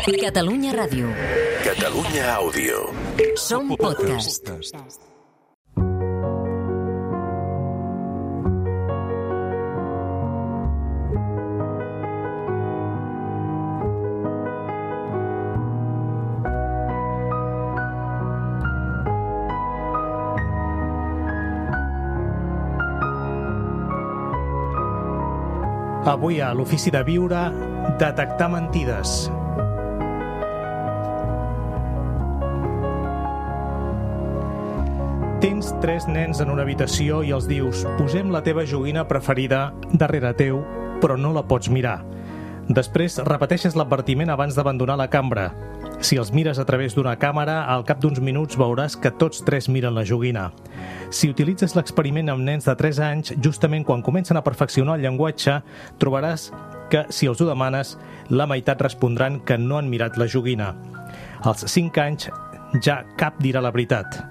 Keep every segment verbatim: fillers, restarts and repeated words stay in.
Catalunya Ràdio. Catalunya Àudio. Som podcast. Avui a l'Ofici de Viure, detectar mentides. Tens tres nens en una habitació i els dius «Posem la teva joguina preferida darrere teu, però no la pots mirar». Després repeteixes l'advertiment abans d'abandonar la cambra. Si els mires a través d'una càmera, al cap d'uns minuts veuràs que tots tres miren la joguina. Si utilitzes l'experiment amb nens de tres anys, justament quan comencen a perfeccionar el llenguatge, trobaràs que, si els ho demanes, la meitat respondran que no han mirat la joguina. Als cinc anys ja cap dirà la veritat.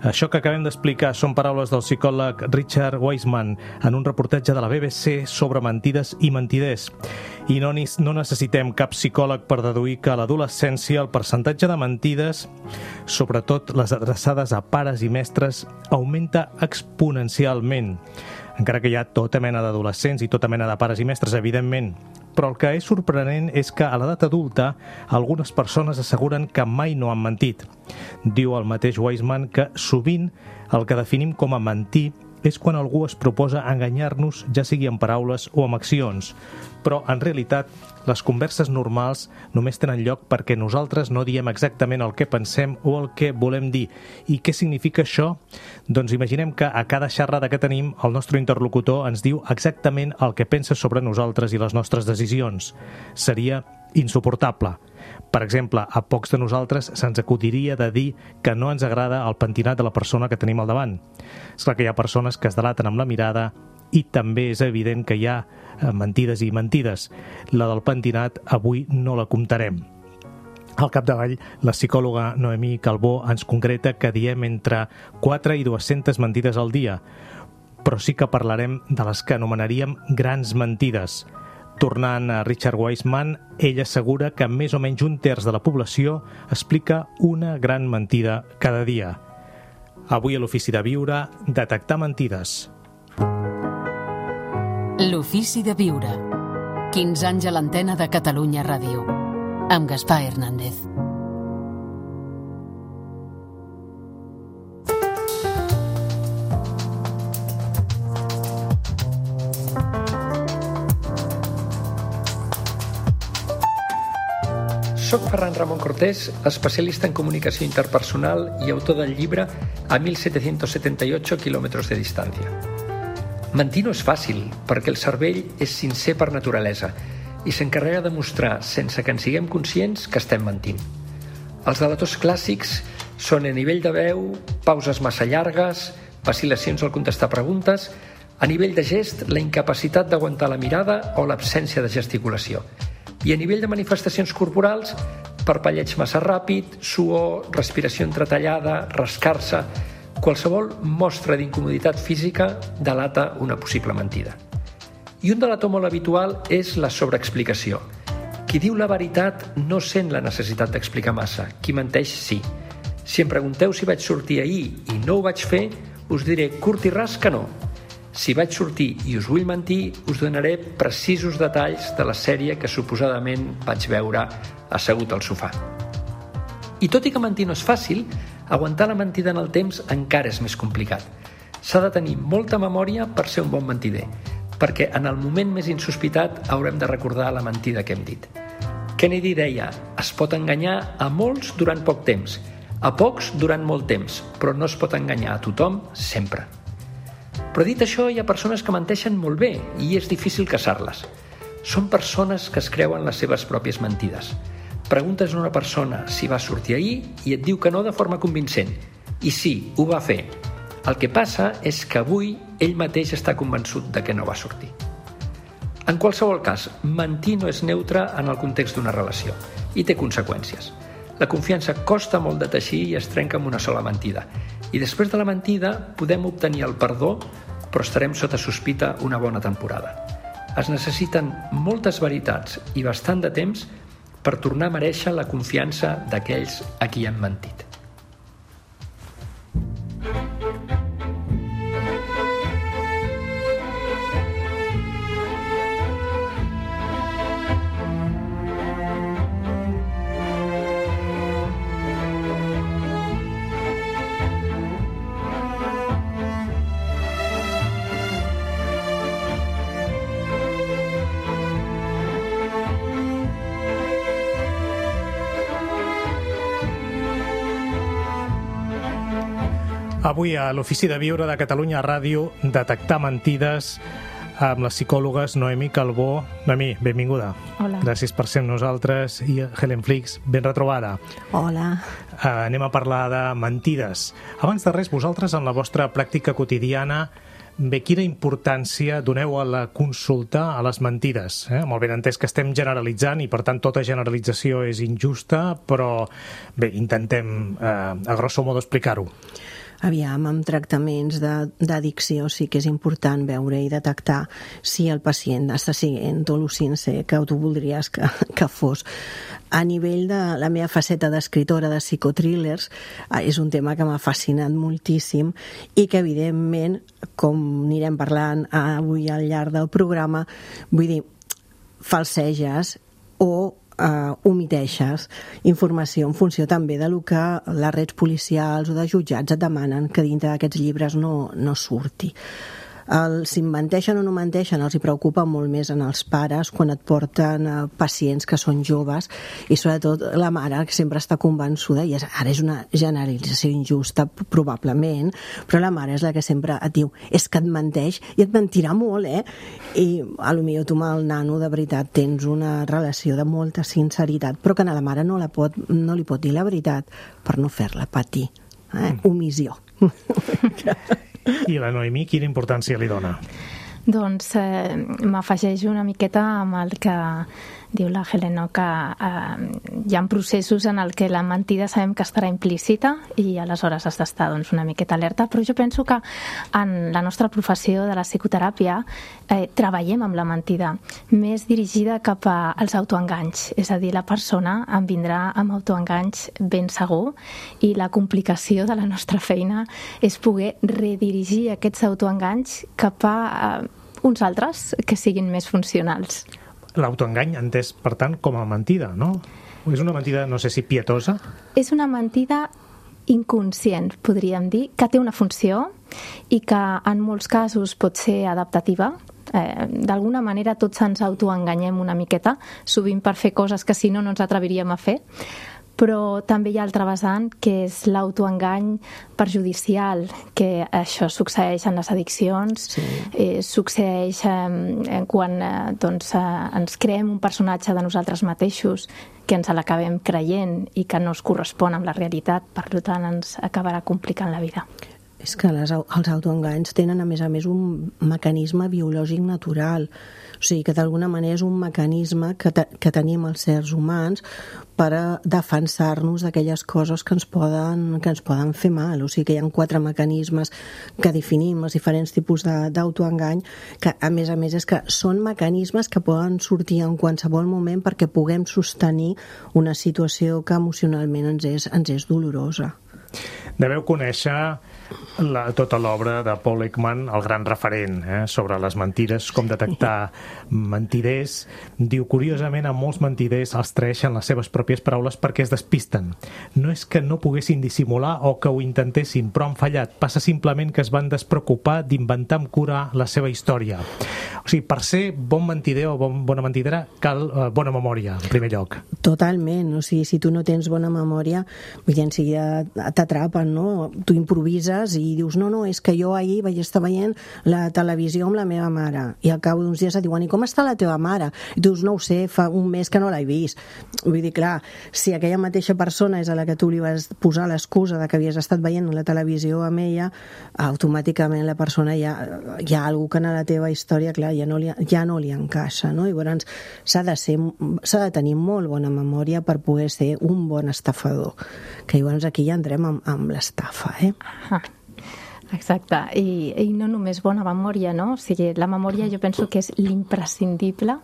Això que acabem d'explicar són paraules del psicòleg Richard Wiseman en un reportatge de la B B C sobre mentides i mentiders. I no, no necessitem cap psicòleg per deduir que a l'adolescència el percentatge de mentides, sobretot les adreçades a pares i mestres, augmenta exponencialment. Encara que hi ha tota mena d'adolescents i tota mena de pares i mestres, evidentment. Però el que és sorprenent és que a l'edat adulta algunes persones asseguren que mai no han mentit. Diu el mateix Wiseman que sovint el que definim com a mentir és quan algú es proposa enganyar-nos, ja sigui en paraules o amb accions. Però, en realitat, les converses normals només tenen lloc perquè nosaltres no diem exactament el que pensem o el que volem dir. I què significa això? Doncs imaginem que a cada xerrada que tenim, el nostre interlocutor ens diu exactament el que pensa sobre nosaltres i les nostres decisions. Seria insuportable. Per exemple, a pocs de nosaltres se'ns acudiria de dir que no ens agrada el pentinat de la persona que tenim al davant. És clar que hi ha persones que es delaten amb la mirada i també és evident que hi ha mentides i mentides. La del pentinat avui no la comptarem. Al capdavall, la psicòloga Noemí Calbó ens concreta que diem entre quatre i dues-centes mentides al dia, però sí que parlarem de les que anomenaríem grans mentides. Tornant a Richard Wiseman, ell assegura que més o menys un terç de la població explica una gran mentida cada dia. Avui a l'Ofici de Viure, detectar mentides. L'Ofici de Viure. quinze anys a l'antena de Catalunya Ràdio. Amb Gaspar Hernández. Soc Ferran Ramon Cortés, especialista en comunicació interpersonal i autor del llibre A mil setecientos setenta y ocho kilómetros de distància. Mentir no és fàcil, perquè el cervell és sincer per naturalesa i s'encarrega de mostrar, sense que en siguem conscients, que estem mentint. Els delators clàssics són a nivell de veu, pauses massa llargues, vacil·lacions al contestar preguntes, a nivell de gest, la incapacitat d'aguantar la mirada o l'absència de gesticulació. I a nivell de manifestacions corporals, parpelleig massa ràpid, suor, respiració entretallada, rascar-se... Qualsevol mostra d'incomoditat física delata una possible mentida. I un delator molt habitual és la sobreexplicació. Qui diu la veritat no sent la necessitat d'explicar massa. Qui menteix, sí. Si em pregunteu si vaig sortir ahir i no ho vaig fer, us diré curt i ras que no. Si vaig sortir i us vull mentir, us donaré precisos detalls de la sèrie que suposadament vaig veure assegut al sofà. I tot i que mentir no és fàcil, aguantar la mentida en el temps encara és més complicat. S'ha de tenir molta memòria per ser un bon mentider, perquè en el moment més insospitat haurem de recordar la mentida que hem dit. Kennedy deia, es pot enganyar a molts durant poc temps, a pocs durant molt temps, però no es pot enganyar a tothom sempre. Però dit això, hi ha persones que menteixen molt bé i és difícil caçar-les. Són persones que es creuen les seves pròpies mentides. Preguntes a una persona si va sortir ahir i et diu que no de forma convincent. I sí, ho va fer. El que passa és que avui ell mateix està convençut de que no va sortir. En qualsevol cas, mentir no és neutre en el context d'una relació i té conseqüències. La confiança costa molt de teixir i es trenca amb una sola mentida. I després de la mentida podem obtenir el perdó, però estarem sota sospita una bona temporada. Es necessiten moltes veritats i bastant de temps per tornar a merèixer la confiança d'aquells a qui han mentit. Avui a l'Ofici de Viure de Catalunya Ràdio, detectar mentides amb les psicòlogues Noemí Calbó. Noemí, benvinguda. Hola. Gràcies per ser amb nosaltres. I Helen Flix, ben retrobada. Hola. Uh, anem a parlar de mentides. Abans de res, vosaltres en la vostra pràctica quotidiana, bé, quina importància doneu a la consulta a les mentides? Eh? Molt ben entès que estem generalitzant i, per tant, tota generalització és injusta, però bé, intentem, eh, a grosso modo, explicar-ho. Aviam, amb tractaments d'addicció sí que és important veure i detectar si el pacient està sent al·lucinant que tu voldries que, que fos. A nivell de la meva faceta d'escriptora de psicotrillers, és un tema que m'ha fascinat moltíssim i que, evidentment, com anirem parlant avui al llarg del programa, vull dir, falseges o Uh, omiteixes informació en funció també de lo que les redes policials o de jutjats et demanen que dintre d'aquests llibres no, no surti. El, si menteixen o no menteixen els hi preocupa molt més en els pares quan et porten uh, pacients que són joves i sobretot la mare que sempre està convençuda, i és, ara és una generalització injusta probablement, però la mare és la que sempre et diu és que et menteix i et mentirà molt, eh? I a lo millor tu amb el nano de veritat tens una relació de molta sinceritat, però que a la mare no, la pot, no li pot dir la veritat per no fer-la patir. Eh? Omissió. I la Noemí, quina importància li dona? Doncs eh, m'afegeixo una miqueta amb el que diu la Helen, no? Que eh, hi ha processos en el que la mentida sabem que estarà implícita i aleshores has d'estar doncs, una miqueta alerta, però jo penso que en la nostra professió de la psicoteràpia eh, treballem amb la mentida més dirigida cap als autoenganys, és a dir, la persona en vindrà amb autoenganys ben segur i la complicació de la nostra feina és poder redirigir aquests autoenganys cap a eh, uns altres que siguin més funcionals. L'autoengany entès, per tant, com a mentida, no? És una mentida, no sé si pietosa? És una mentida inconscient, podríem dir, que té una funció i que en molts casos pot ser adaptativa. Eh, d'alguna manera tots ens autoenganyem una miqueta, sovint per fer coses que si no no ens atreviríem a fer, però també hi ha altre vessant que és l'autoengany perjudicial, que això succeeix en les addiccions, sí. eh, succeeix eh, quan eh, doncs, eh, ens creem un personatge de nosaltres mateixos que ens l'acabem creient i que no es correspon amb la realitat, per tant ens acabarà complicant la vida. És que les, els autoenganys tenen, a més a més, un mecanisme biològic natural. O sigui, que d'alguna manera és un mecanisme que, te, que tenim els éssers humans per a defensar-nos d'aquelles coses que ens, poden, que ens poden fer mal. O sigui, que hi ha quatre mecanismes que definim els diferents tipus d'autoengany, que, a més a més, és que són mecanismes que poden sortir en qualsevol moment perquè puguem sostenir una situació que emocionalment ens és, ens és dolorosa. Deveu conèixer la, tota l'obra de Paul Ekman, el gran referent eh, sobre les mentides, com detectar mentiders. Diu, curiosament, a molts mentiders els traeixen les seves pròpies paraules perquè es despisten. No és que no poguessin dissimular o que ho intentessin, però han fallat. Passa simplement que es van despreocupar d'inventar amb cura la seva història. O sigui, per ser bon mentider o bon, bona mentidera cal eh, bona memòria, en primer lloc. Totalment. O sigui, si tu no tens bona memòria, vull dir, en seguida t'atrapen, no? Tu improvises i dius, no, no, és que jo ahir vaig estar veient la televisió amb la meva mare i al cap d'uns dies et diuen, i com està la teva mare? I tu dius, no ho sé, fa un mes que no l'he vist. Vull dir, clar, si aquella mateixa persona és a la que tu li vas posar l'excusa de que havies estat veient la televisió amb ella, automàticament la persona ja, hi ha alguna que en la teva història, clar, ja no li, ja no li encaixa, no? I llavors s'ha de ser, s'ha de tenir molt bona memòria per poder ser un bon estafador, que llavors aquí ja entrem amb, amb l'estafa, eh? Ah, exacte, I, i no només bona memòria, no? O sigui, la memòria jo penso que és l'imprescindible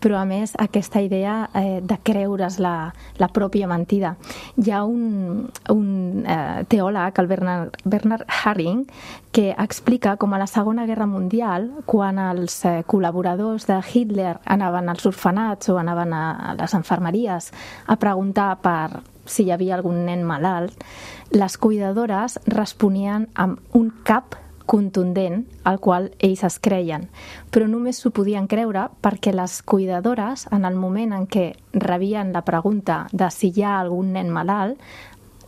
però a més aquesta idea eh, de creure's la, la pròpia mentida. Hi ha un, un eh, teòleg, el Bernard, Bernard Haring, que explica com a la Segona Guerra Mundial, quan els eh, col·laboradors de Hitler anaven als orfenats o anaven a les infermeries a preguntar per si hi havia algun nen malalt, les cuidadores responien amb un cap contundent al qual ells es creien, però només s'ho podien creure perquè les cuidadores, en el moment en què rebien la pregunta de si hi ha algun nen malalt,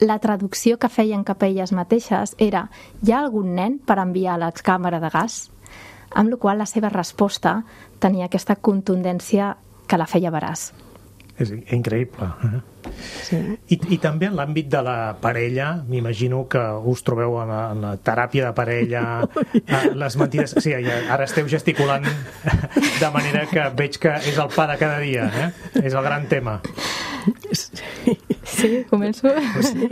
la traducció que feien cap a elles mateixes era «hi ha algun nen per enviar a la càmera de gas?», amb la qual la seva resposta tenia aquesta contundència que la feia veraç. És increïble. Eh? Sí. I, I també en l'àmbit de la parella, m'imagino que us trobeu en la, en la teràpia de parella, les mentides... Sí, ara esteu gesticulant de manera que veig que és el pa de cada dia, eh? És el gran tema. Sí, començo? Sí.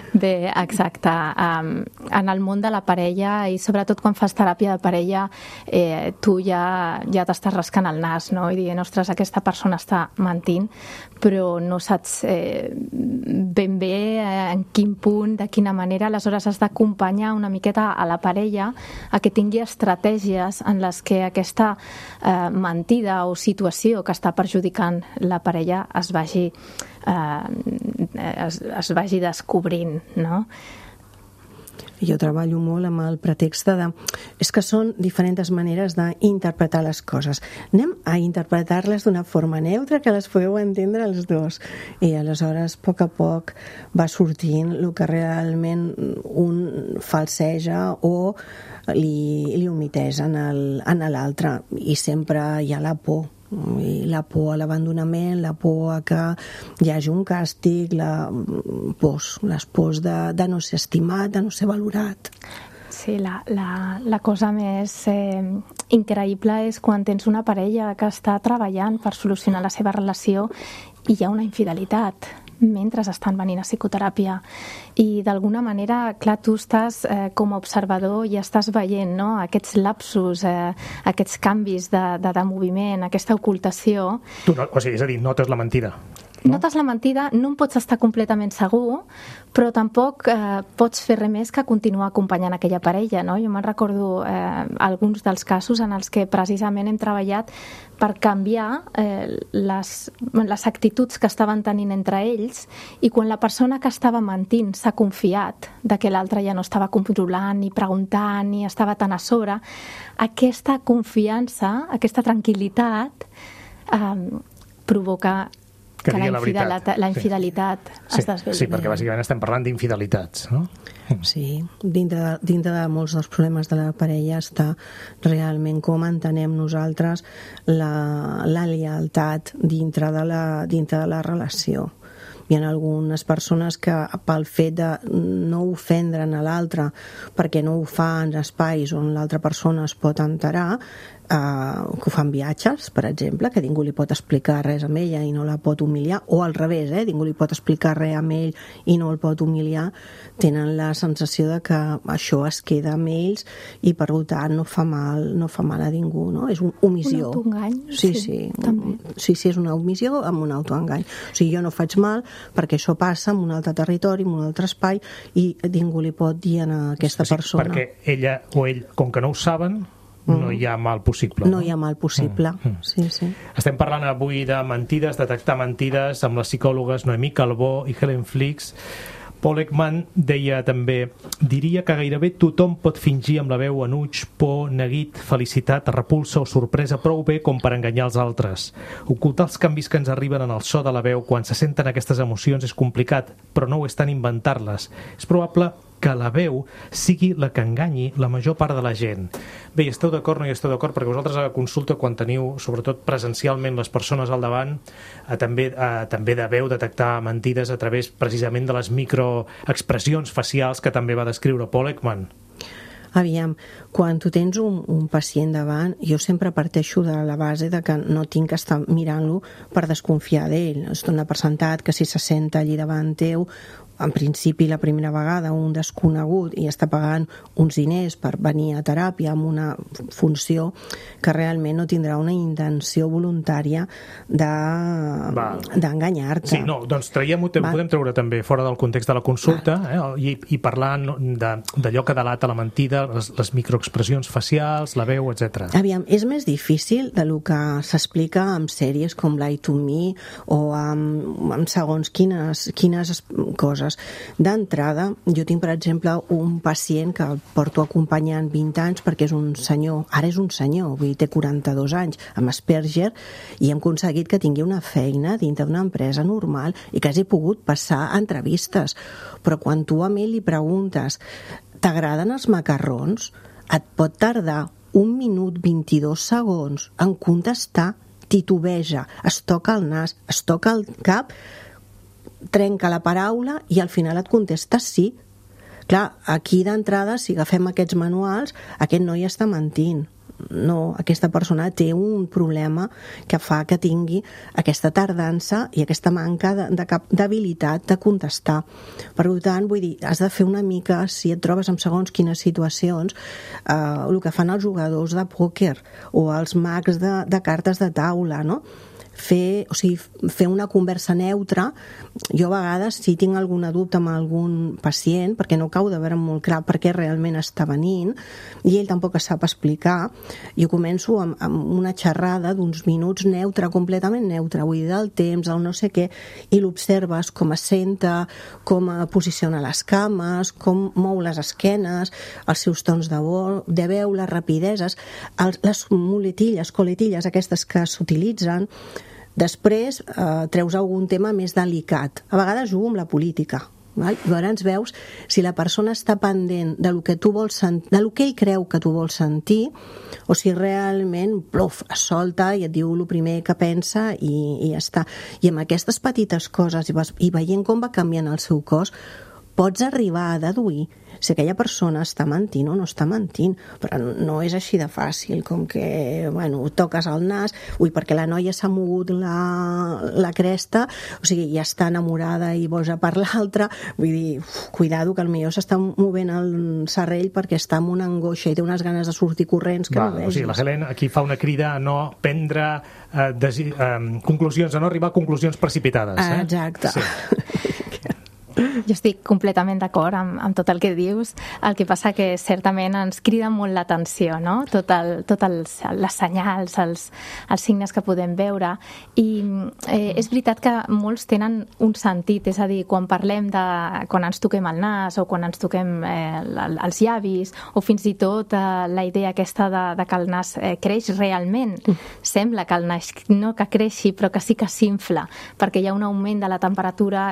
Bé, exacte. Um, en el món de la parella, i sobretot quan fas teràpia de parella, eh, tu ja, ja t'estàs rascant el nas, no? I dient, ostres, aquesta persona està mentint, però no saps eh, ben bé eh, en quin punt, de quina manera. Aleshores has d'acompanyar una miqueta a la parella a que tingui estratègies en les que aquesta eh, mentida o situació que està perjudicant la parella es vagi eh, es, es vagi descobrint, no? Jo treballo molt amb el pretext de... És que són diferents maneres d'interpretar les coses. Anem a interpretar-les d'una forma neutra que les podeu entendre els dos. I aleshores, a poc a poc, va sortint el que realment un falseja o li, li omiteix en l'altre. I sempre hi ha la por. I la por a l'abandonament, la por a que hi hagi un càstig, la pors, les pors de, de no ser estimat, de no ser valorat. Sí, la, la, la cosa més eh, increïble és quan tens una parella que està treballant per solucionar la seva relació i hi ha una infidelitat mentre estan venint a psicoteràpia. I d'alguna manera, clar, tu estàs eh, com a observador i estàs veient, no?, aquests lapsus, eh, aquests canvis de, de, de moviment, aquesta ocultació. Tu no, o sigui, és a dir, notes la mentida. No? Notes la mentida, no en pots estar completament segur, però tampoc eh, pots fer res més que continuar acompanyant aquella parella, no? Jo me'n recordo eh, alguns dels casos en els que precisament hem treballat per canviar eh, les, les actituds que estaven tenint entre ells, i quan la persona que estava mentint s'ha confiat de que l'altre ja no estava controlant ni preguntant ni estava tan a sobre, aquesta confiança, aquesta tranquil·litat eh, provoca que la, la, infidelitat, la infidelitat sí. es desveli. Sí, perquè bàsicament estem parlant d'infidelitats, no? Sí, dintre de, dintre de molts dels problemes de la parella està realment com entenem nosaltres la, la lealtat dintre de la, dintre de la relació. Hi ha algunes persones que pel fet de no ofendre'n a l'altre perquè no ho fa en espais on l'altra persona es pot enterar, Uh, que ho fan viatges, per exemple, que ningú li pot explicar res amb ella i no la pot humiliar, o al revés, eh? ningú li pot explicar res amb ell i no el pot humiliar, tenen la sensació de que això es queda amb ells i per tant no fa mal, no fa mal a ningú, no? És una omissió. Un autoengany. Sí, sí, sí, també. Sí, sí, és una omissió amb un autoengany. O sigui, jo no faig mal perquè això passa en un altre territori, en un altre espai, i ningú li pot dir a aquesta sí, persona. Perquè ella o ell, com que no ho saben, no hi ha mal possible. No, no hi ha mal possible, mm. sí, sí. Estem parlant avui de mentides, detectar mentides, amb les psicòlogues Noemí Calbó i Helen Flix. Paul Ekman deia també: diria que gairebé tothom pot fingir amb la veu enuig, por, neguit, felicitat, repulsa o sorpresa prou bé com per enganyar els altres. Ocultar els canvis que ens arriben en el so de la veu quan se senten aquestes emocions és complicat, però no ho és tant inventar-les. És probable que la veu sigui la que enganyi la major part de la gent. Bé, hi esteu d'acord o no hi esteu d'acord? Perquè vosaltres a la consulta, quan teniu, sobretot presencialment, les persones al davant, a, també, a, també deveu detectar mentides a través precisament de les microexpressions facials que també va descriure Paul Ekman. Aviam, quan tu tens un, un pacient davant, jo sempre parteixo de la base de que no tinc que estar mirant-lo per desconfiar d'ell. Es dona per sentat que si se senta allí davant teu en principi la primera vegada un desconegut i està pagant uns diners per venir a teràpia amb una funció que realment no tindrà una intenció voluntària d'enganyar-te. Sí, no, doncs traiem-ho, podem treure també fora del context de la consulta, eh, i, i parlar d'allò que delata la mentida, les, les microexpressions facials, la veu, etcètera. Aviam, és més difícil de lo que s'explica en sèries com Lie to Me o amb, amb segons quines, quines coses. D'entrada, jo tinc, per exemple, un pacient que el porto acompanyant vint anys perquè és un senyor, ara és un senyor, vull dir, té quaranta-dos anys, amb Asperger, i hem aconseguit que tingui una feina dintre d'una empresa normal i que hagi pogut passar entrevistes. Però quan tu a mi li preguntes t'agraden els macarrons, et pot tardar un minut vint-i-dos segons en contestar, titubeja, es toca el nas, es toca el cap, trenca la paraula i al final et contesta sí. Clar, aquí d'entrada, si agafem aquests manuals, aquest noi està mentint. No, aquesta persona té un problema que fa que tingui aquesta tardança i aquesta manca de, de cap d'habilitat de contestar. Per tant, vull dir, has de fer una mica, si et trobes en segons quines situacions, eh, el que fan els jugadors de pòquer o els mags de, de cartes de taula, no? Fer, o sigui, fer una conversa neutra. Jo a vegades, si tinc alguna dubte amb algun pacient, perquè no acabo de veure molt clar per què realment està venint, i ell tampoc es sap explicar, jo començo amb, amb una xerrada d'uns minuts neutra, completament neutra, vull dir, del temps, el no sé què, i l'observes com es senta, com posiciona les cames, com mou les esquenes, els seus tons de, vo, de veu, les rapideses, els, les muletilles, coletilles aquestes que s'utilitzen. Després eh, treus algun tema més delicat. A vegades jugo amb la política. Val? Llavors veus si la persona està pendent de lo que tu vols sentir, de lo que ell creu que tu vols sentir, o si realment pluf, es solta i et diu el primer que pensa i, i ja està. I amb aquestes petites coses i, vas, i veient com va canviant el seu cos, pots arribar a deduir si aquella persona està mentint o no està mentint, però no és així de fàcil, com que, bueno, toques el nas, ui, perquè la noia s'ha mogut la, la cresta, o sigui, ja està enamorada i boja per l'altra, vull dir, uf, cuidado, que potser s'està movent el serrell perquè està amb una angoixa i té unes ganes de sortir corrents que Va, no vegis. O sigui, la Helen aquí fa una crida a no prendre eh, desi, eh, conclusions, a no arribar a conclusions precipitades. Eh? Exacte. Sí. Jo estic completament d'acord amb, amb tot el que dius. El que passa que certament ens crida molt l'atenció, no? Tot el, tot els, les senyals, els, els signes que podem veure. I eh, és veritat que molts tenen un sentit, és a dir, quan parlem de... quan ens toquem el nas o quan ens toquem eh, els llavis, o fins i tot eh, la idea aquesta de, de que el nas eh, creix realment. Sembla que el nas no que creixi, però que sí que s'infla, perquè hi ha un augment de la temperatura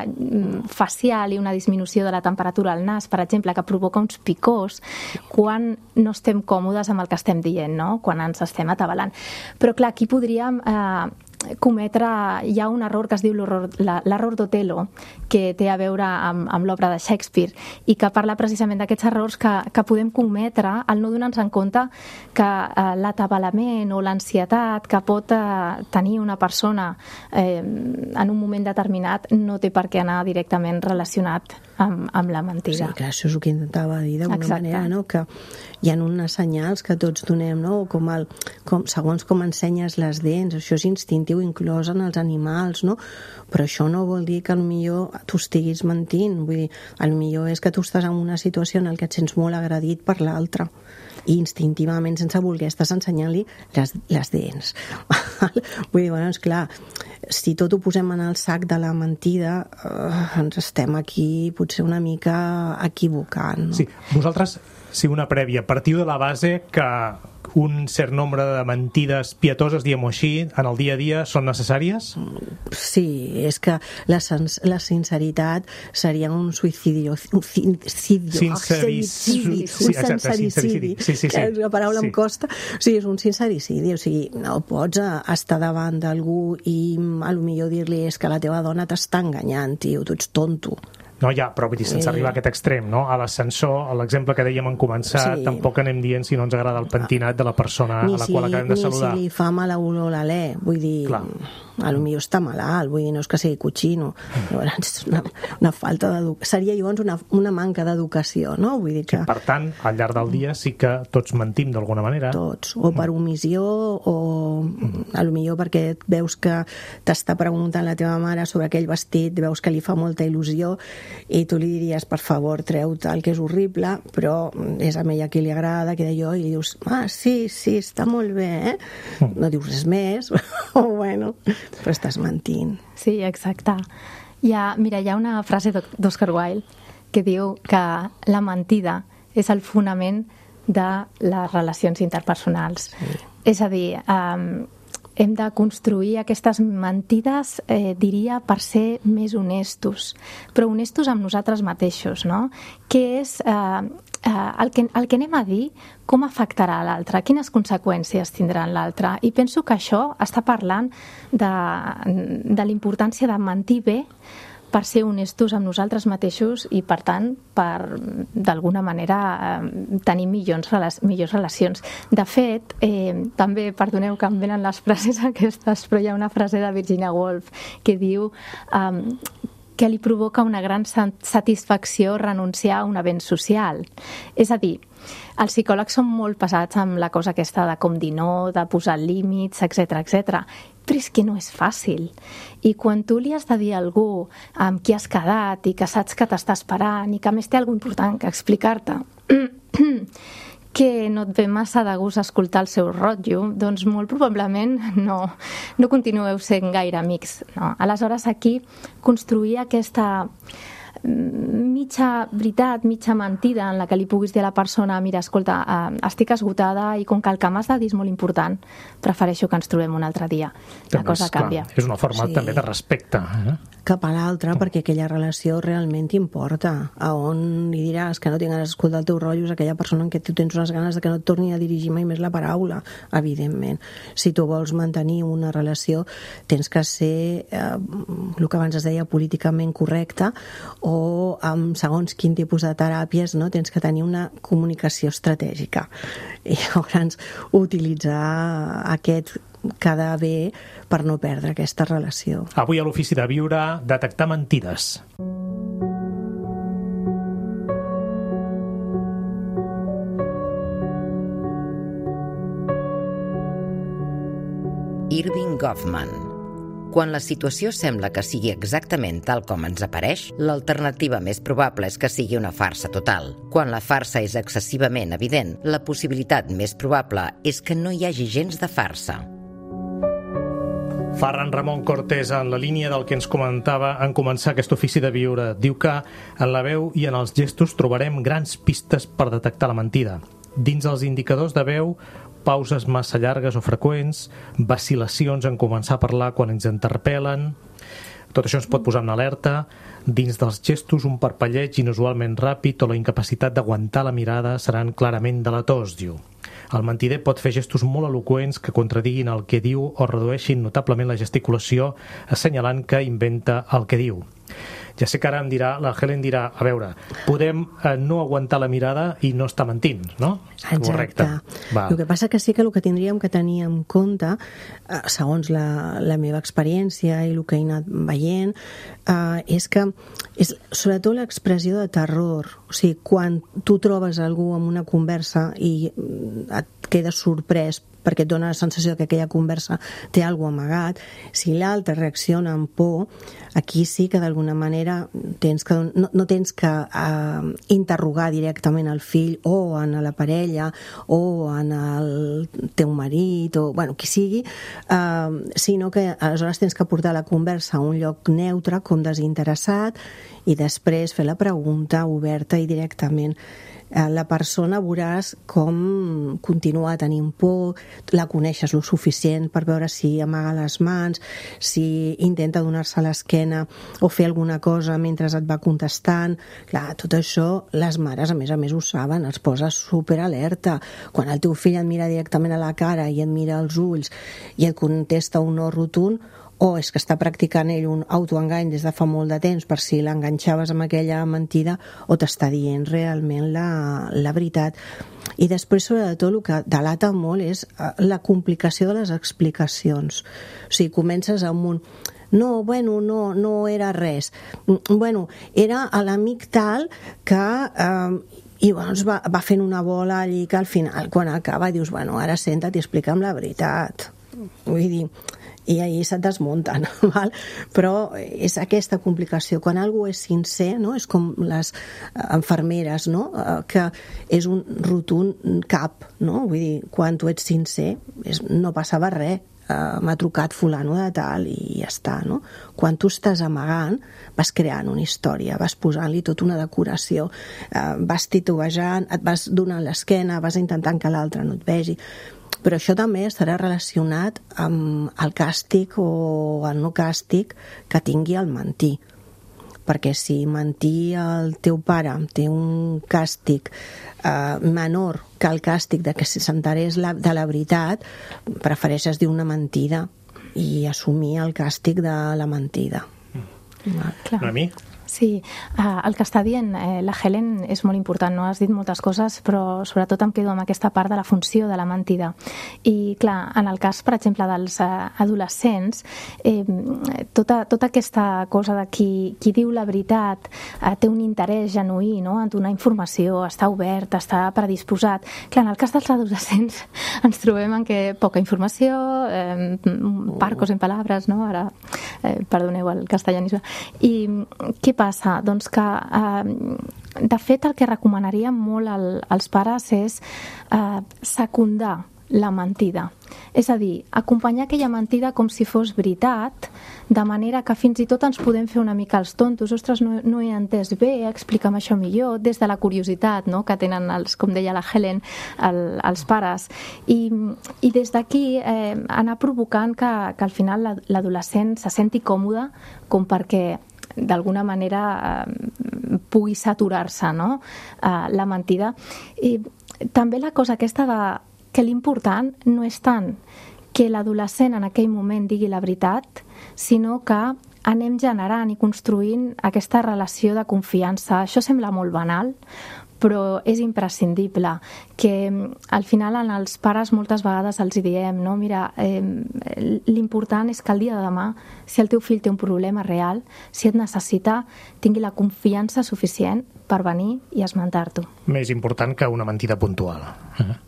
facial i una disminució de la temperatura al nas, per exemple, que provoca uns picors quan no estem còmodes amb el que estem dient, no? Quan ens estem atabalant. Però clar, aquí podríem eh, cometre, hi ha un error que es diu l'error d'Otello, que té a veure amb, amb l'obra de Shakespeare i que parla precisament d'aquests errors que, que podem cometre al no donar-nos en compte que eh, l'atabalament o l'ansietat que pot eh, tenir una persona eh, en un moment determinat no té per què anar directament relacionat amb, amb la mentida. Sí, clar, això és el que intentava dir d'alguna manera, no? Que hi ha unes senyals que tots donem, no? Com el, com, segons com ensenyes les dents, això és instintiu inclòs en els animals, no? Però això no vol dir que potser tu estiguis mentint, vull dir, potser és que tu estàs en una situació en què et sents molt agredit per l'altre i instintivament, sense voler, estàs ensenyant-li les, les dents. Vull dir, bueno, és clar, si tot ho posem en el sac de la mentida, eh, ens estem aquí potser una mica equivocant. No? Sí, vosaltres, si una prèvia, partiu de la base que un cert nombre de mentides pietoses, diguem-ho així, en el dia a dia són necessàries? Sí, és que la, la sinceritat seria un suïcidi, un sincericidi, sincericidi, sí, exacte, sincericidi, sí, sí, sí, que la paraula sí. em costa, o sigui, és un sincericidi, o sigui, no pots estar davant d'algú i a lo millor dir-li és que la teva dona t'està enganyant, tio, tu ets tonto. No, ja, però vull dir, sense Sí. arribar a aquest extrem, no? A l'ascensor, a l'exemple que dèiem en començar, Sí. tampoc anem dient si no ens agrada el pentinat de la persona Ni a la si qual li, acabem de ni saludar. si li fa mala olor l'alè, vull dir, Clar. a lo millor està malalt, vull dir, no és que sigui cochino. Llavors, és una, una falta d'educació. Seria llavors una, una manca d'educació, no? Vull dir que... Per tant, al llarg del dia sí que tots mentim d'alguna manera. Tots, o per omissió o a lo millor perquè veus que t'està preguntant la teva mare sobre aquell vestit, veus que li fa molta il·lusió i tu li diries, per favor, treu-te el que és horrible, però és a ella qui li agrada, que d'allò, i li dius, ah, sí, sí, està molt bé, eh? No dius res més, o bueno, però estàs mentint. Sí, exacte. Hi ha, mira, hi ha una frase d'Oscar Wilde que diu que la mentida és el fonament de les relacions interpersonals. Sí. És a dir, eh, hem de construir aquestes mentides, eh, diria, per ser més honestos, però honestos amb nosaltres mateixos, no? Què és eh, eh, el, que, el que anem a dir, com afectarà l'altre, quines conseqüències tindrà l'altre. I penso que això està parlant de, de la importància de mentir bé per ser honestos amb nosaltres mateixos i, per tant, per, d'alguna manera, eh, tenir millors, millors relacions. De fet, eh, també, perdoneu que em venen les frases aquestes, però hi ha una frase de Virginia Woolf que diu eh, que li provoca una gran satisfacció renunciar a un avenç social. És a dir, els psicòlegs són molt pesats amb la cosa aquesta de com dir no, de posar límits, etcètera, etcètera. Però és que no és fàcil. I quan tu li has de dir a algú amb qui has quedat i que saps que t'està esperant i que a més té alguna important que explicar-te que no et ve massa de gust escoltar el seu rotllo, doncs molt probablement no, no continueu sent gaire amics. No? Aleshores aquí construir aquesta mitja veritat, mitja mentida en la que li puguis dir a la persona, mira, escolta, eh, estic esgotada i com que el que m'has de dir és molt important, prefereixo que ens trobem un altre dia. La També cosa és, clar, canvia. és una forma Sí. també de respecte. Eh? Cap a l'altre, perquè aquella relació realment t'importa. A on li diràs que no tinc ganes d'escoltar el teu rotllo és aquella persona en què tu tens unes ganes de que no et torni a dirigir mai més la paraula, evidentment. Si tu vols mantenir una relació, tens que ser, eh, el que abans es deia, políticament correcte, o amb segons quin tipus de teràpies, no? Tens que tenir una comunicació estratègica. I llavors utilitzar aquest quedar bé per no perdre aquesta relació. Avui a l'Ofici de Viure, detectar mentides. Irving Goffman. Quan la situació sembla que sigui exactament tal com ens apareix, l'alternativa més probable és que sigui una farsa total. Quan la farsa és excessivament evident, la possibilitat més probable és que no hi hagi gens de farsa. Ferran Ramon Cortés, en la línia del que ens comentava en començar aquest Ofici de Viure, diu que en la veu i en els gestos trobarem grans pistes per detectar la mentida. Dins els indicadors de veu, pauses massa llargues o freqüents, vacil·lacions en començar a parlar quan ens interpel·len. Tot això ens pot posar en alerta. Dins dels gestos, un parpelleig inusualment ràpid o la incapacitat d'aguantar la mirada seran clarament delators, diu. El mentider pot fer gestos molt eloqüents que contradiguin el que diu o redueixin notablement la gesticulació, assenyalant que inventa el que diu. Ja sé que ara em dirà, la Helen dirà, a veure, podem eh, no aguantar la mirada i no estar mentint, no? Exacte. Correcte. Va. El que passa que sí que el que tindríem que tenir en compte, eh, segons la, la meva experiència i el que he anat veient, eh, és que és sobretot l'expressió de terror. O sigui, quan tu trobes algú en una conversa i et quedes sorprès perquè et dona la sensació que aquella conversa té alguna cosa amagat, si l'altre reacciona amb por, aquí sí que d'alguna manera tens que, no, no tens que uh, interrogar directament al fill o en la parella o en el teu marit o bueno, qui sigui, uh, sinó que aleshores tens que portar la conversa a un lloc neutre, com desinteressat, i després fer la pregunta oberta i directament. La persona veuràs com continua tenint por, la coneixes lo suficient per veure si amaga les mans, si intenta donar-se a l'esquena o fer alguna cosa mentre et va contestant. Clar, tot això les mares a més a més ho saben, es posa superalerta. Quan el teu fill et mira directament a la cara i et mira als ulls i et contesta un no rotund, o és que està practicant ell un autoengany des de fa molt de temps per si l'enganxaves amb aquella mentida, o t'està dient realment la, la veritat. I després, sobretot, el que delata molt és la complicació de les explicacions. O sigui, comences amb un... No, bueno, no, no era res. Bueno, era l'amic tal que... Eh, i doncs va, va fent una bola allí que al final, quan acaba, dius, bueno, ara senta't i explica'm la veritat. Vull dir, i ahir se't desmunten, val? Però és aquesta complicació. Quan algú és sincer, no? És com les infermeres, no? Que és un rotund cap, no? Vull dir, quan tu ets sincer, és, no passava res. Uh, m'ha trucat fulano de tal i ja està, no? Quan tu estàs amagant, vas creant una història, vas posant-li tota una decoració, uh, vas titubejant, et vas donant l'esquena, vas intentant que l'altre no et vegi. Però això també estarà relacionat amb el càstig o el no càstig que tingui el mentir. Perquè si mentir el teu pare té un càstig eh, menor que el càstig de que s'enterés de la veritat, prefereixes dir una mentida i assumir el càstig de la mentida. Mm. Clar. A mi? Sí, uh, el que està dient eh, la Helen és molt important, no? Has dit moltes coses, però sobretot em quedo amb aquesta part de la funció de la mentida. I clar, en el cas, per exemple, dels uh, adolescents, eh, tota, tota aquesta cosa de qui, qui diu la veritat uh, té un interès genuí, no?, en donar informació, està obert, està predisposat. Clar, en el cas dels adolescents ens trobem en què poca informació, eh, parcos en palabras, no?, ara, eh, perdoneu el castellanisme. I què passa? Doncs que, eh, de fet, el que recomanaríem molt al, als pares és eh, secundar la mentida. És a dir, acompanyar aquella mentida com si fos veritat, de manera que fins i tot ens podem fer una mica els tontos. Ostres, no, no he entès bé, explica'm això millor, des de la curiositat, no?, que tenen, els, com deia la Helen, el, els pares. I, i des d'aquí eh, anar provocant que, que al final l'adolescent se senti còmode com perquè d'alguna manera eh, pugui saturar-se, no?, eh, la mentida. I també la cosa aquesta de que l'important no és tant que l'adolescent en aquell moment digui la veritat, sinó que anem generant i construint aquesta relació de confiança. Això sembla molt banal, però és imprescindible, que al final en els pares moltes vegades els diem, no, mira, eh, l'important és que el dia de demà, si el teu fill té un problema real, si et necessita, tingui la confiança suficient per venir i esmentar-t'ho. Més important que una mentida puntual. Uh-huh.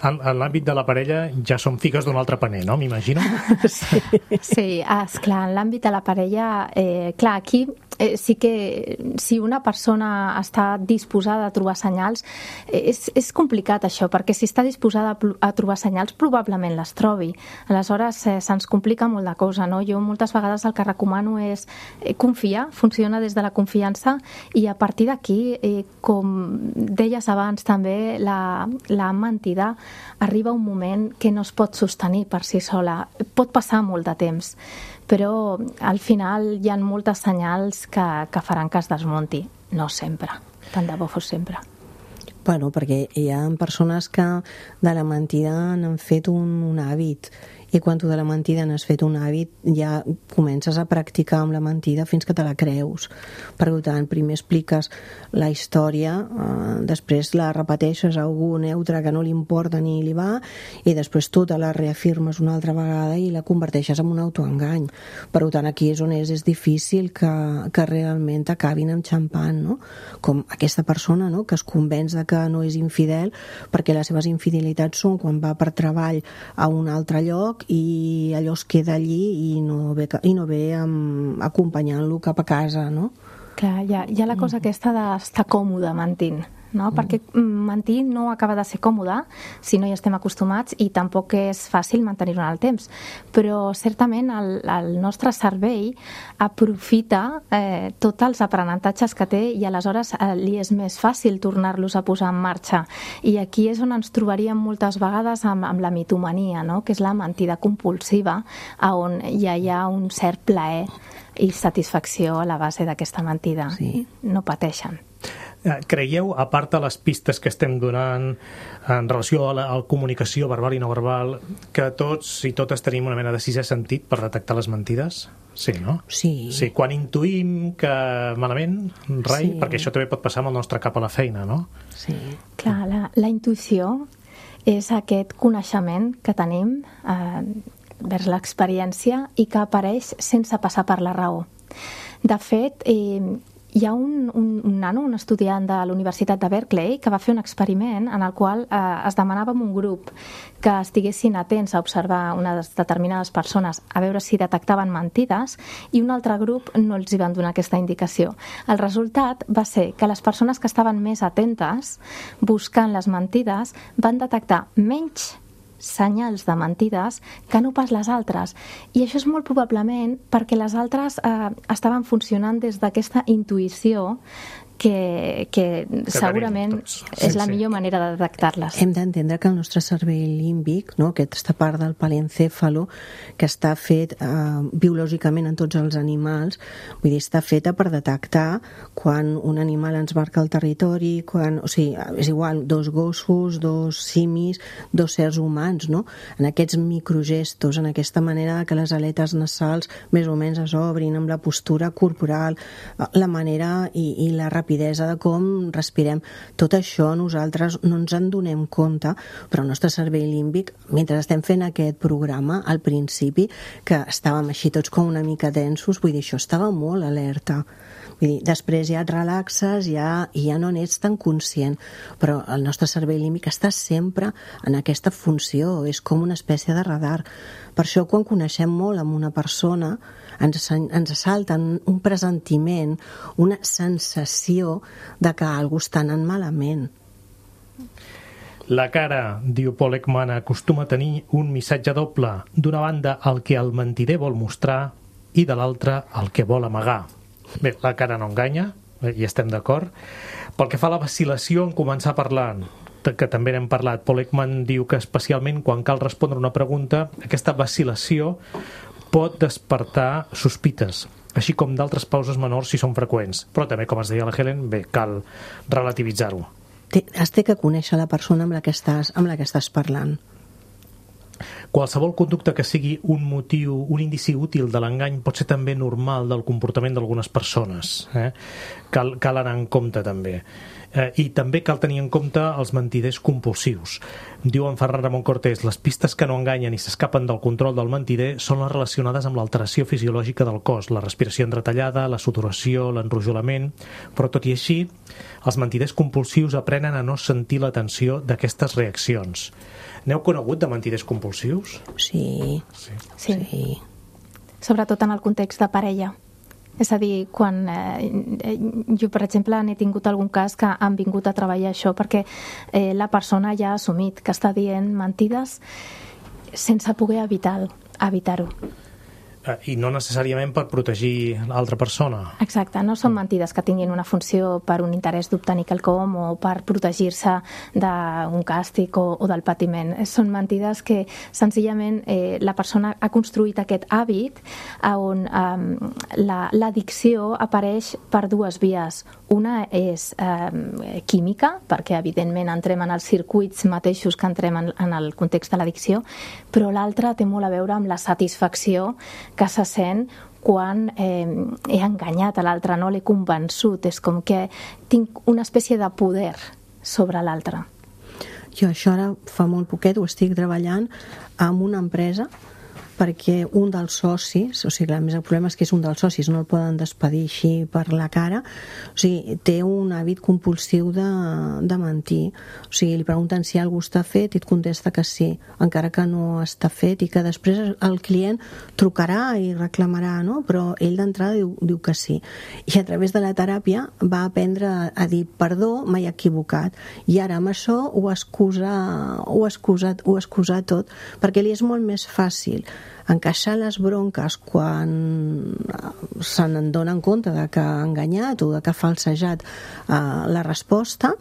En, en l'àmbit de la parella ja som figues d'un altre paner, no? M'imagino? Sí, sí, esclar, en l'àmbit de la parella, eh, clar, aquí eh, sí que si una persona està disposada a trobar senyals, eh, és, és complicat això, perquè si està disposada a, a trobar senyals probablement les trobi. Aleshores eh, se'ns complica molt de cosa, no? Jo moltes vegades el que recomano és eh, confiar, funciona des de la confiança, i a partir d'aquí, eh, com deies abans també, la, la mentida arriba un moment que no es pot sostenir per si sola. Pot passar molt de temps, però al final hi ha moltes senyals que, que faran que es desmunti. No sempre, tant de bo fos sempre. Bueno, perquè hi ha persones que de la mentida n'han fet un, un hàbit, i quan tu de la mentida n'has fet un hàbit ja comences a practicar amb la mentida fins que te la creus. Per tant, primer expliques la història, eh, després la repeteixes a algú neutre que no li importa ni li va, i després tu te la reafirmes una altra vegada i la converteixes en un autoengany. Per tant, aquí és on és, és difícil que, que realment t'acabin enxampant, no? Com aquesta persona, no?, que es convenç de que no és infidel perquè les seves infidelitats són quan va per treball a un altre lloc i allò es queda allí i no ve, i no ve um, acompanyant-lo cap a casa, no? Clar, hi ha, hi ha la cosa aquesta d'estar còmode mentint, no? Mm. Perquè mentir no acaba de ser còmode si no hi estem acostumats, i tampoc és fàcil mantenir-ho en el temps. Però certament el, el nostre cervell aprofita eh, tots els aprenentatges que té, i aleshores eh, li és més fàcil tornar-los a posar en marxa. I aquí és on ens trobaríem moltes vegades amb, amb la mitomania, no?, que és la mentida compulsiva, on ja hi ha un cert plaer i satisfacció a la base d'aquesta mentida. Sí. No pateixen. Creieu, a part de les pistes que estem donant en relació a la, a la comunicació verbal i no verbal, que tots i totes tenim una mena de sisè sentit per detectar les mentides? Sí, no? Sí. Sí, quan intuïm que malament, rai, sí. Perquè això també pot passar amb el nostre cap a la feina, no? Sí. Clar, la, la intuïció és aquest coneixement que tenim eh, vers l'experiència i que apareix sense passar per la raó. De fet, eh, hi ha un, un, un nano, un estudiant de la Universitat de Berkeley, que va fer un experiment en el qual eh, es demanava a un grup que estiguessin atents a observar unes determinades persones a veure si detectaven mentides i un altre grup no els hi van donar aquesta indicació. El resultat va ser que les persones que estaven més atentes buscant les mentides van detectar menys senyals de mentides que no pas les altres. I això és molt probablement perquè les altres eh, estaven funcionant des d'aquesta intuïció que, que, que segurament sí, és la sí. millor manera de detectar-les. Hem d'entendre que el nostre cervell límbic, no, aquesta part del palencèfalo, que està fet eh, biològicament en tots els animals, vull dir, està feta per detectar quan un animal ens marca el territori, quan, o sigui, és igual, dos gossos, dos simis, dos sers humans, no? En aquests microgestos, en aquesta manera que les aletes nasals més o menys es obrin, amb la postura corporal, la manera i, i la rapidesa de com respirem. Tot això nosaltres no ens en donem compte, però el nostre cervell límbic, mentre estem fent aquest programa, al principi, que estàvem així tots com una mica tensos, vull dir, això estava molt alerta. Vull dir, després ja et relaxes, ja, ja no n'ets tan conscient, però el nostre cervell límbic està sempre en aquesta funció, és com una espècie de radar. Per això, quan coneixem molt amb una persona, ens, ens salta un pressentiment, una sensació de que alguna cosa està anant malament. La cara, diu Paul Ekman, acostuma a tenir un missatge doble. D'una banda, el que el mentider vol mostrar, i de l'altra, el que vol amagar. Bé, la cara no enganya, hi estem d'acord. Pel que fa a la vacil·lació en començar parlant, que també n'hem parlat, Paul Ekman diu que especialment quan cal respondre una pregunta, aquesta vacil·lació pot despertar sospites, així com d'altres pauses menors si són freqüents. Però també, com es deia la Helen, bé, cal relativitzar-ho. Has de que conèixer la persona amb la que estàs, amb la que estàs parlant. Qualsevol conducta que sigui un motiu, un indici útil de l'engany pot ser també normal del comportament d'algunes persones. Eh? Cal, cal anar en compte també. Eh, I també cal tenir en compte els mentiders compulsius. Diu en Ferran Ramon Cortés, les pistes que no enganyen i s'escapen del control del mentider són les relacionades amb l'alteració fisiològica del cos, la respiració entretallada, la sudoració, l'enrojolament, però tot i així, els mentiders compulsius aprenen a no sentir la tensió d'aquestes reaccions. N'heu conegut de mentiders compulsius? Sí. Sí. sí. sí. Sobretot en el context de parella. És a dir, quan eh, jo, per exemple, n'he tingut algun cas que han vingut a treballar això perquè eh, la persona ja ha assumit que està dient mentides sense poder evitar-ho. evitar-ho. I no necessàriament per protegir l'altra persona. Exacte, no són mentides que tinguin una funció per un interès d'obtenir quelcom o per protegir-se d'un càstig o, o del patiment. Són mentides que senzillament eh, la persona ha construït aquest hàbit on eh, l'addicció apareix per dues vies. Una és eh, química, perquè evidentment entrem en els circuits mateixos que entrem en, en el context de l'addicció, però l'altra té molt a veure amb la satisfacció que se sent quan eh, he enganyat a l'altre, no l'he convençut, és com que tinc una espècie de poder sobre l'altre. Jo això ara fa molt poquet ho estic treballant amb una empresa perquè un dels socis, o sigui, el problema és que és un dels socis, no el poden despedir així per la cara, o sigui, té un hàbit compulsiu de, de mentir, o sigui, li pregunten si algú està fet i et contesta que sí, encara que no està fet, i que després el client trucarà i reclamarà, no? Però ell d'entrada diu, diu que sí. I a través de la teràpia va aprendre a dir perdó, m'he equivocat, i ara amb això ho excusa, ho excusa, ho excusa tot, perquè li és molt més fàcil encaixar les bronques quan se n'adonen compte de que ha enganyat o de que ha falsejat eh, la resposta,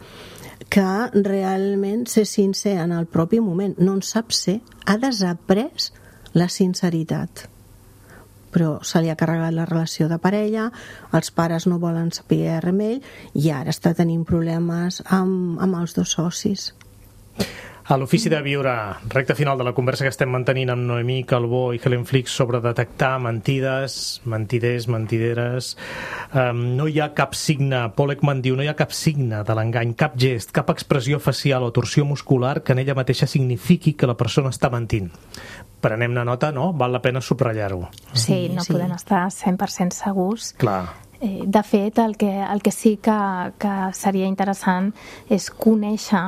que realment ser sincer en el propi moment. No en sap ser, ha desaprès la sinceritat. però se li ha carregat la relació de parella, els pares no volen saber res amb ell i ara està tenint problemes amb, amb els dos socis. A l'Ofici de Viure, recta final de la conversa que estem mantenint amb Noemí Calbó i Helen Flix sobre detectar mentides, mentiders, mentideres. Um, no hi ha cap signe, Paul Ekman diu, no hi ha cap signe de l'engany, cap gest, cap expressió facial o torsió muscular que en ella mateixa signifiqui que la persona està mentint. Prenem-ne nota, no? Val la pena subratllar-ho. Sí, no sí. podem estar cent per cent segurs. Clar. De fet, el que, el que sí que, que seria interessant és conèixer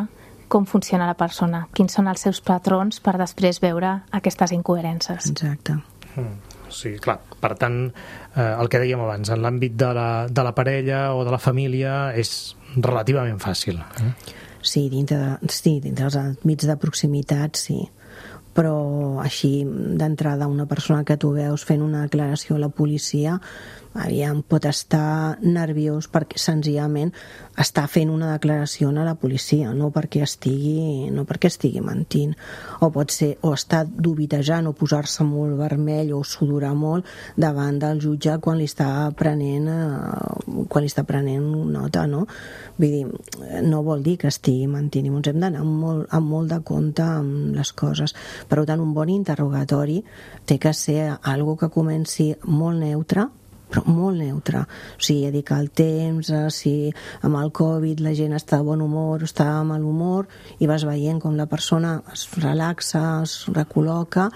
com funciona la persona, quins són els seus patrons per després veure aquestes incoherències. Exacte. Mm, sí, clar. Per tant, eh, el que dèiem abans, en l'àmbit de la, de la parella o de la família és relativament fàcil. Eh? Sí, dintre, de, sí, dintre dels àmbits de proximitat, sí. Però així, d'entrada, una persona que tu veus fent una declaració a la policia, aviam, pot estar nerviós perquè senzillament està fent una declaració a la policia, no perquè estigui, no perquè estigui mentint. O pot ser, o estar dubitejant o posar-se molt vermell o sudorar molt davant del jutge quan li està prenent, eh, quan li està prenent nota, no? Vull dir, no vol dir que estigui mentint, i ens hem d'anar amb molt, amb molt de compte amb les coses. Per tant, un bon interrogatori té que ser algo que comenci molt neutre, però molt neutre. O sigui, dedicar el temps, si amb el Covid la gent està de bon humor o està de mal humor, i vas veient com la persona es relaxa, es recol·loca,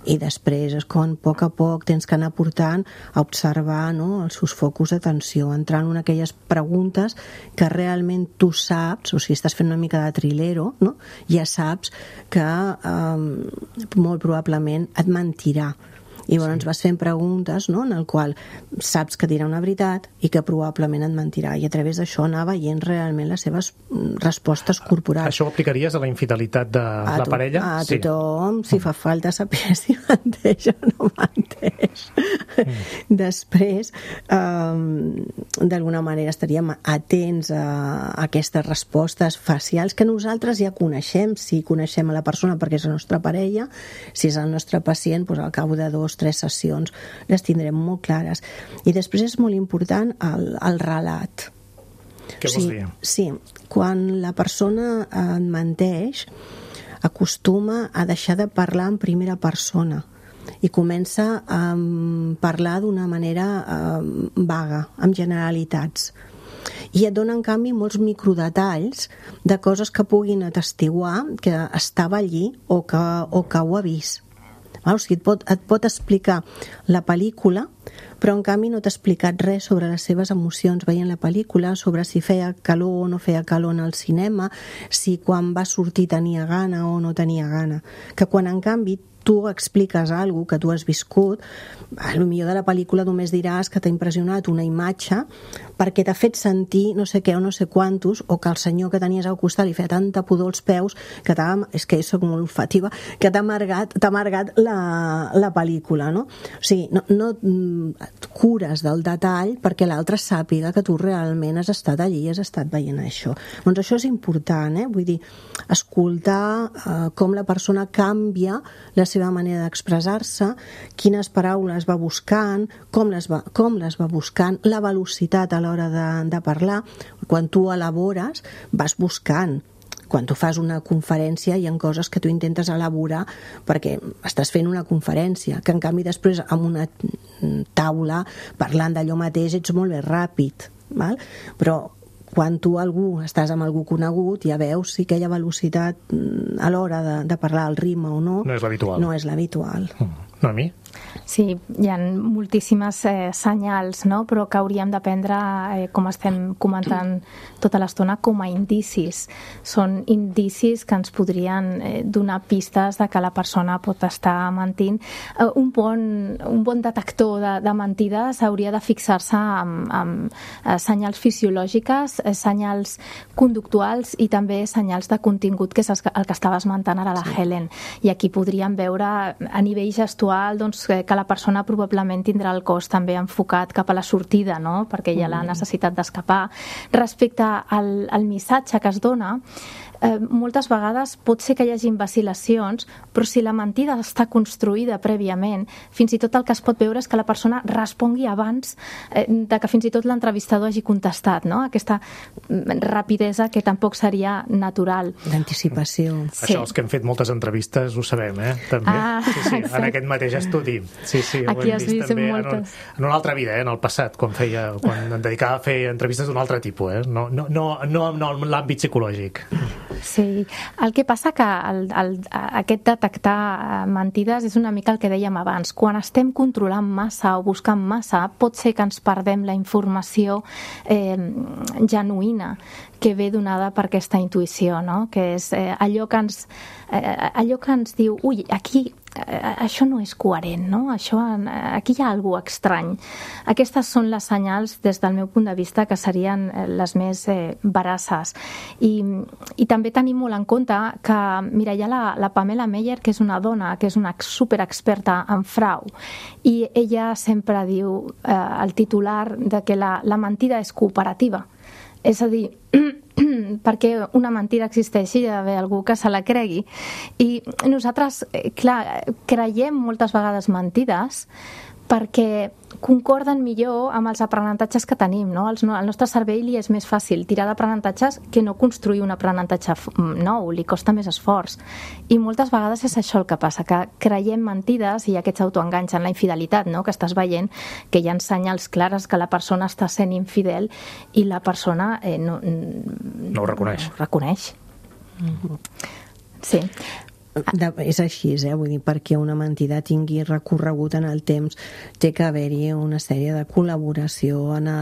i després és quan a poc a poc tens que anar portant a observar, no, els seus focus d'atenció, entrant en aquelles preguntes que realment tu saps, o sigui, estàs fent una mica de trilero, no? Ja saps que eh, molt probablement et mentirà. I llavors sí. vas fent preguntes, no?, en el qual saps que dirà una veritat i que probablement et mentirà, i a través d'això anar veient realment les seves respostes corporals. Això ho aplicaries a la infidelitat de a la to- parella? A sí. tothom, si fa falta saber si menteix o no menteix. Mm. Després, um, d'alguna manera estaríem atents a, a aquestes respostes facials que nosaltres ja coneixem, si coneixem a la persona perquè és la nostra parella, si és el nostre pacient, doncs al cap de dos tres sessions les tindrem molt clares. I després és molt important el, el relat. Què vols dir? Sí, quan la persona et menteix, acostuma a deixar de parlar en primera persona i comença a parlar d'una manera eh, vaga, amb generalitats. I et dona, en canvi, molts microdetalls de coses que puguin atestiguar que estava allí o que, o que ho ha vist. O sigui, et pot, et pot explicar la pel·lícula, però en canvi no t'ha explicat res sobre les seves emocions veient la pel·lícula, sobre si feia calor o no feia calor en el cinema, si quan va sortir tenia gana o no tenia gana. Que quan, en canvi, tu expliques alguna cosa que tu has viscut, a lo millor de la pel·lícula només diràs que t'ha impressionat una imatge perquè t'ha fet sentir no sé què o no sé quantos, o que el senyor que tenies al costat li feia tanta pudor als peus que t'ha, és que soc molt olfativa, que t'ha amargat, t'ha amargat la, la pel·lícula, no? O sigui, no, no et cures del detall perquè l'altre sàpiga que tu realment has estat allí i has estat veient això. Doncs això és important, eh? Vull dir, escoltar eh, com la persona canvia la seva manera d'expressar-se, quines paraules va buscant, com les va, com les va buscant, la velocitat a l'hora de, de parlar. Quan tu elabores, vas buscant. Quan tu fas una conferència hi ha coses que tu intentes elaborar perquè estàs fent una conferència, que en canvi després amb una taula parlant d'allò mateix ets molt més ràpid, val? Però quan tu algú estàs amb algú conegut ja veus si aquella velocitat a l'hora de, de parlar el ritme o no no és l'habitual. No és l'habitual. Mm. No, a mi? Sí, hi ha moltíssimes eh, senyals, no? Però que hauríem de prendre, eh, com estem comentant tota l'estona, com a indicis. Són indicis que ens podrien eh, donar pistes de que la persona pot estar mentint. Eh, un, bon, un bon detector de, de mentides hauria de fixar-se en, en eh, senyals fisiològiques, eh, senyals conductuals i també senyals de contingut, que és el que estava esmentant ara la sí. Helen. I aquí podríem veure a nivell gestual doncs, que la persona probablement tindrà el cos també enfocat cap a la sortida, no? Perquè hi ha la necessitat d'escapar. Respecte al, al missatge que es dona, eh, moltes vegades pot ser que hi hagi vacil·lacions, però si la mentida està construïda prèviament, fins i tot el que es pot veure és que la persona respongui abans eh, de que fins i tot l'entrevistador hagi contestat, no? Aquesta rapidesa que tampoc seria natural. D'anticipació. Sí. Això, els que hem fet moltes entrevistes ho sabem, eh? També. Ah, sí, sí, en aquest mateix estudi. Sí, sí, ho aquí hem has vist, vist també moltes. en, un, en una altra vida, eh? En el passat, quan, feia, quan em dedicava a fer entrevistes d'un altre tipus, eh? No, no, no, no, no en l'àmbit psicològic. Sí, el que passa que el, el, aquest detectar mentides és una mica el que dèiem abans. Quan estem controlant massa o buscant massa, pot ser que ens perdem la informació eh, genuïna que ve donada per aquesta intuïció, no? Que és eh, allò, que ens, eh, allò que ens diu, ui, aquí eh, això no és coherent, no? Això, aquí hi ha alguna cosa estrany. Aquestes són les senyals, des del meu punt de vista, que serien les més eh, veraces. I, I també tenim molt en compte que, mira, hi ha la, la Pamela Meyer, que és una dona, que és una superexperta en frau, i ella sempre diu eh, el titular de que la, la mentida és cooperativa. És a dir, perquè una mentida existeixi hi ha d'haver algú que se la cregui. I nosaltres, clar, creiem moltes vegades mentides perquè concorden millor amb els aprenentatges que tenim, no? El nostre cervell li és més fàcil tirar d'aprenentatges que no construir un aprenentatge nou, li costa més esforç. I moltes vegades és això el que passa, que creiem mentides i aquests autoenganys en la infidelitat, no? Que estàs veient que hi ha senyals clares que la persona està sent infidel i la persona eh, no, no ho reconeix. No ho reconeix. Mm-hmm. Sí. De, és així, eh? Vull dir, perquè una mentida tingui recorregut en el temps té que haver-hi una sèrie de col·laboració en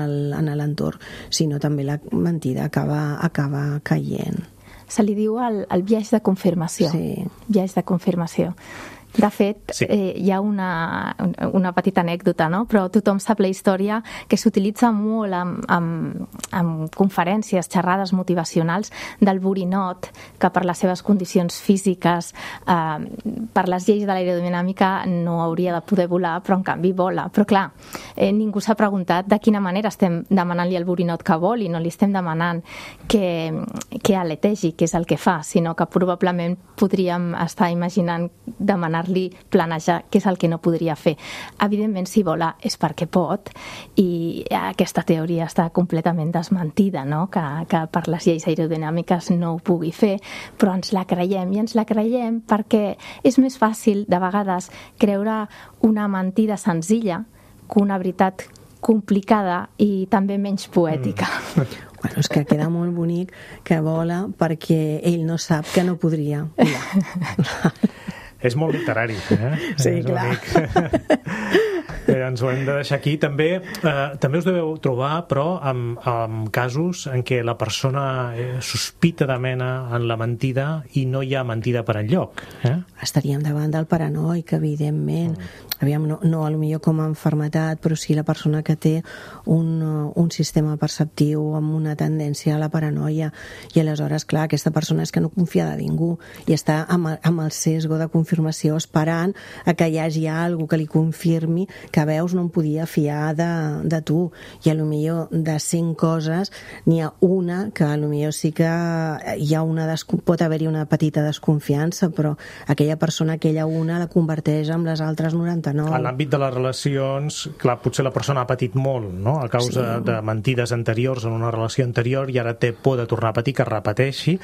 l'entorn, si no també la mentida acaba, acaba caient. Se li diu el, el biaix de confirmació. Sí. Biaix de confirmació. De fet, sí. eh, hi ha una, una petita anècdota, no? Però tothom sap la història que s'utilitza molt en, en, en conferències, xerrades motivacionals del borinot, que per les seves condicions físiques, eh, per les lleis de l'aerodinàmica no hauria de poder volar, però en canvi vola. Però clar, eh, ningú s'ha preguntat de quina manera estem demanant-li al borinot que voli, no li estem demanant que, que aletegi, que és el que fa, sinó que probablement podríem estar imaginant demanar li planejar, que és el que no podria fer. Evidentment, si vola és perquè pot, i aquesta teoria està completament desmentida, no? que, que per les lleis aerodinàmiques no ho pugui fer, però ens la creiem, i ens la creiem perquè és més fàcil, de vegades, creure una mentida senzilla que una veritat complicada i també menys poètica. Mm. Bueno, és que queda molt bonic que vola perquè ell no sap que no podria volar. És molt literari, eh? Sí, és clar. Eh, ens ho hem de deixar aquí. També, eh, també us deveu trobar, però, amb, amb casos en què la persona eh, sospita de mena en la mentida i no hi ha mentida per enlloc. Eh? Estaríem davant del paranoic, evidentment. Mm. Aviam, no, no potser com a malaltia, però sí la persona que té un, un sistema perceptiu amb una tendència a la paranoia. I aleshores, clar, aquesta persona és que no confia de ningú i està amb, amb el sesgo de confirmació esperant a que hi hagi alguna que li confirmi que veus no em podia fiar de, de tu. I a lo millor de cent coses n'hi ha una que a lo millor sí que hi ha una desco- pot haver-hi una petita desconfiança, però aquella persona, aquella una, la converteix en les altres noranta-nou. En l'àmbit de les relacions, clar, potser la persona ha patit molt, no?, a causa sí. de mentides anteriors en una relació anterior, i ara té por de tornar a patir, que repeteixi,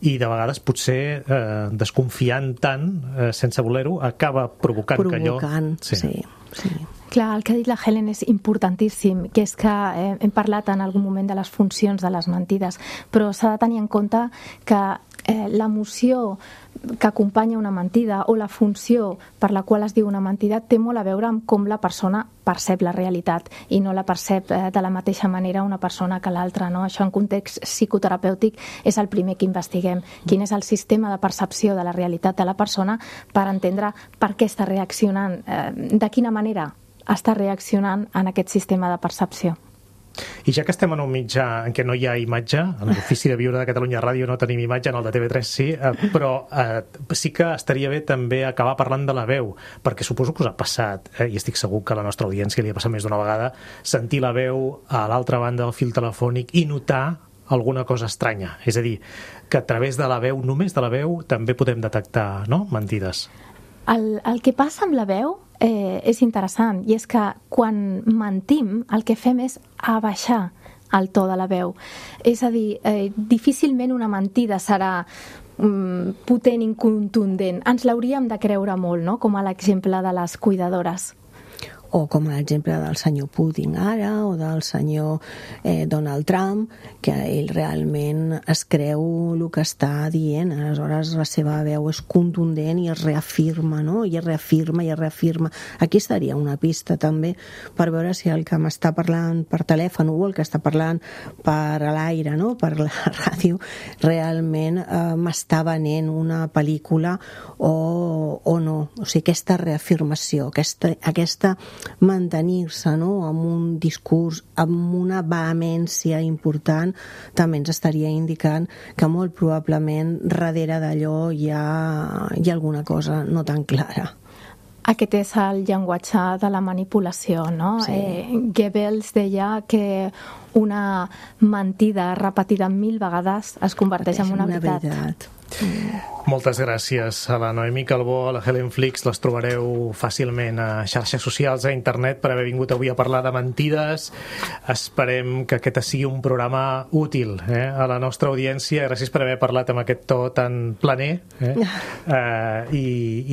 i de vegades potser eh, desconfiant tant, eh, sense voler-ho, acaba provocant, provocant que allò... Provocant, sí, sí. sí. Clar, el que ha dit la Helen és importantíssim, que és que eh, hem parlat en algun moment de les funcions de les mentides, però s'ha de tenir en compte que eh, l'emoció que acompanya una mentida o la funció per la qual es diu una mentida té molt a veure amb com la persona percep la realitat, i no la percep eh, de la mateixa manera una persona que l'altra, no? Això en context psicoterapèutic és el primer que investiguem, quin és el sistema de percepció de la realitat de la persona per entendre per què està reaccionant, eh, de quina manera està reaccionant en aquest sistema de percepció. I ja que estem en un mitjà en què no hi ha imatge, en l'Ofici de Viure de Catalunya Ràdio no tenim imatge, en el de T V tres sí, eh, però eh, sí que estaria bé també acabar parlant de la veu, perquè suposo que us ha passat, eh, i estic segur que a la nostra audiència li ha passat més d'una vegada, sentir la veu a l'altra banda del fil telefònic i notar alguna cosa estranya. És a dir, que a través de la veu, només de la veu, també podem detectar, no?, mentides. El, el que passa amb la veu eh, és interessant, i és que quan mentim el que fem és abaixar el to de la veu. És a dir, eh, difícilment una mentida serà mm, potent i contundent. Ens l'hauríem de creure molt, no?, com a l'exemple de les cuidadores. O com l'exemple del senyor Putin ara, o del senyor eh, Donald Trump, que ell realment es creu el que està dient. Aleshores la seva veu és contundent i es reafirma, no? I es reafirma i es reafirma. Aquí estaria una pista també per veure si el que m'està parlant per telèfon o el que està parlant per a l'aire, no?, per la ràdio, realment eh, m'està venent una pel·lícula o, o no. O sigui, aquesta reafirmació, aquesta, aquesta mantenir-se, no?, amb un discurs amb una vehemència important, també ens estaria indicant que molt probablement darrere d'allò hi ha, hi ha alguna cosa no tan clara. Aquest és el llenguatge de la manipulació, no? Sí. Eh, Goebbels deia que una mentida repetida mil vegades es converteix en una, una veritat. veritat. Mm. Moltes gràcies a la Noemí Calbó, a la Helen Flix. Les trobareu fàcilment a xarxes socials, a internet, per haver vingut avui a parlar de mentides. Esperem que aquest sigui un programa útil eh, a la nostra audiència. Gràcies per haver parlat amb aquest to tan planer eh, eh, i,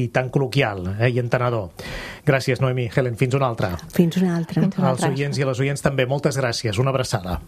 i tan col·loquial eh, i entenedor. Gràcies, Noemí. Helen, fins una altra. Fins una altra. Fins una altra. Als oients i a les oients també, moltes gràcies. Una abraçada.